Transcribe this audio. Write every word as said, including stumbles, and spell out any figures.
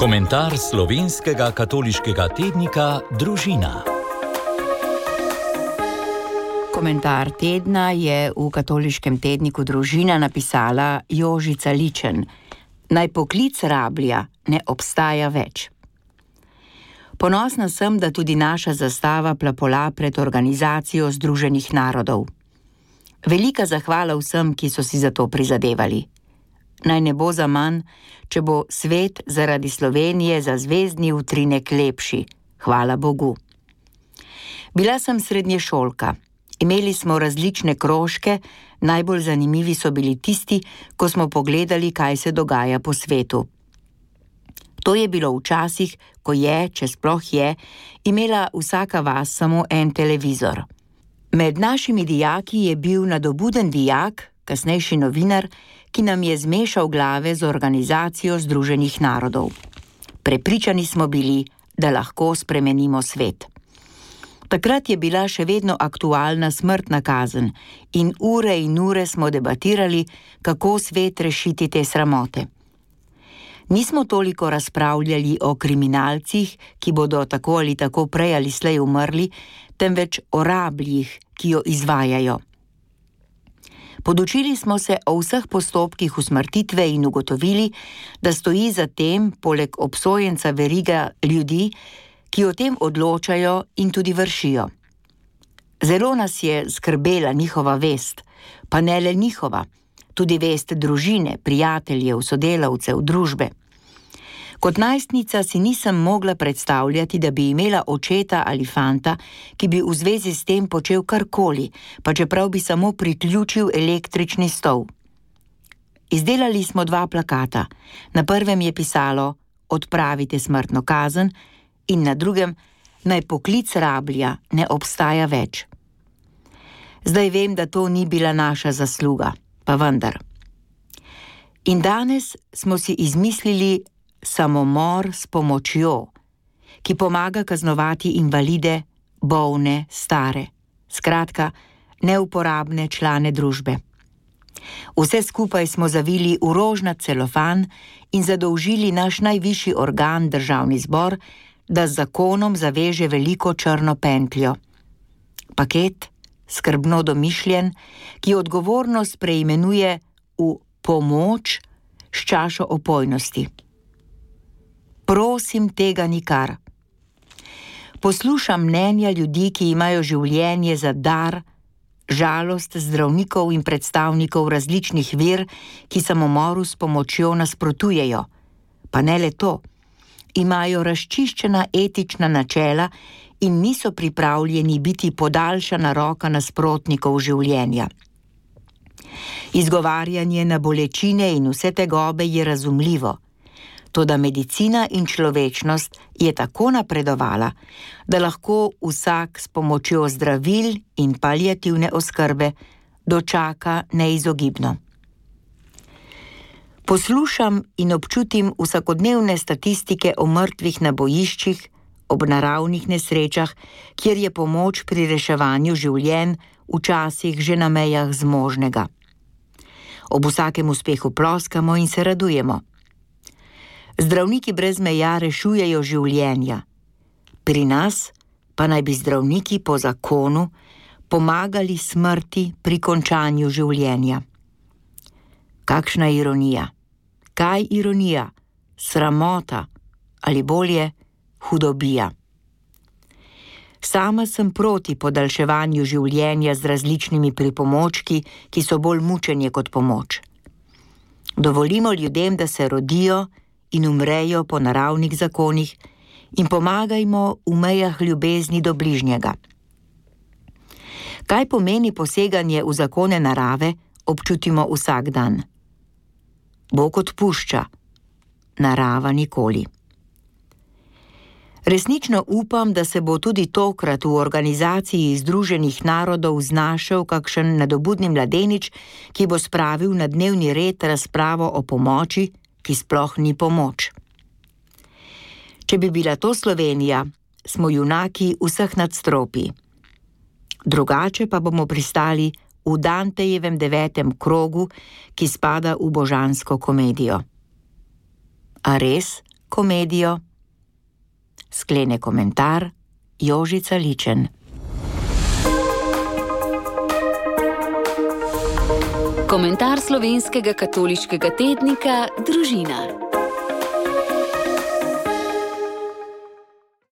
Komentar slovenskega katoliškega tednika Družina. Komentar tedna je v katoliškem tedniku Družina napisala Jožica Ličen. Naj poklic rablja ne obstaja več. Ponosna sem, da tudi naša zastava plapola pred Organizacijo Združenih narodov. Velika zahvala vsem, ki so si za to prizadevali. Naj ne bo za manj, če bo svet zaradi Slovenije za zvezdni utrinek lepši. Hvala Bogu. Bila sem srednješolka. Imeli smo različne krožke, najbolj zanimivi so bili tisti, ko smo pogledali, kaj se dogaja po svetu. To je bilo včasih, ko je, če sploh je, imela vsaka vas samo en televizor. Med našimi dijaki je bil nadobuden dijak, kasnejši novinar, ki nam je zmešal glave z Organizacijo Združenih narodov. Prepričani smo bili, da lahko spremenimo svet. Takrat je bila še vedno aktualna smrtna kazen in ure in ure smo debatirali, kako svet rešiti te sramote. Nismo toliko razpravljali o kriminalcih, ki bodo tako ali tako prej ali slej umrli, temveč o rabljih, ki jo izvajajo. Podučili smo se o vseh postopkih usmrtitve in ugotovili, da stoji za tem, poleg obsojenca veriga ljudi, ki o tem odločajo in tudi vršijo. Zelo nas je skrbela njihova vest, pa ne le njihova, tudi vest družine, prijateljev, sodelavcev, družbe. Kot najstnica si nisem mogla predstavljati, da bi imela očeta ali fanta, ki bi v zvezi s tem počel karkoli, pa čeprav bi samo priključil električni stol. Izdelali smo dva plakata. Na prvem je pisalo Odpravite smrtno kazen in na drugem Naj poklic rablja ne obstaja več. Zdaj vem, da to ni bila naša zasluga, pa vendar. In danes smo si izmislili samomor s pomočjo, ki pomaga kaznovati invalide, bolne, stare, skratka, neuporabne člane družbe. Vse skupaj smo zavili v rožnat celofan in zadolžili naš najvišji organ, Državni zbor, da z zakonom zaveže veliko črno pentljo. Paket, skrbno domišljen, ki odgovornost preimenuje v pomoč s čašo opojnosti. Prosim, tega nikar. Poslušam mnenja ljudi, ki imajo življenje za dar, žalost zdravnikov in predstavnikov različnih ver, ki samomoru s pomočjo nasprotujejo. Pa ne le to, imajo razčiščena etična načela in niso pripravljeni biti podaljšana roka nasprotnikov življenja. Izgovarjanje na bolečine in vse tegobe je razumljivo, toda medicina in človečnost je tako napredovala, da lahko vsak s pomočjo zdravil in paliativne oskrbe dočaka neizogibno. Poslušam in občutim vsakodnevne statistike o mrtvih na bojiščih, ob naravnih nesrečah, kjer je pomoč pri reševanju življenj včasih že na mejah zmožnega. Ob vsakem uspehu ploskamo in se radujemo. Zdravniki brez meja rešujejo življenja. Pri nas pa naj bi zdravniki po zakonu pomagali smrti pri končanju življenja. Kakšna ironija? Kaj ironija? Sramota ali bolje hudobija. Sama sem proti podaljševanju življenja z različnimi pripomočki, ki so bolj mučenje kot pomoč. Dovolimo ljudem, da se rodijo in umrejo po naravnih zakonih in pomagajmo v mejah ljubezni do bližnjega. Kaj pomeni poseganje v zakone narave, občutimo vsak dan. Bog odpušča, narava nikoli. Resnično upam, da se bo tudi tokrat v Organizaciji Združenih narodov znašel kakšen nadobudni mladenič, ki bo spravil na dnevni red razpravo o pomoči, ki sploh ni pomoč. Če bi bila to Slovenija, smo junaki vseh nadstropij. Drugače pa bomo pristali v Dantejevem devetem krogu, ki spada v božansko komedijo. A res, komedijo. Sklene komentar Jožica Ličen. Komentar slovenskega katoliškega tednika Družina.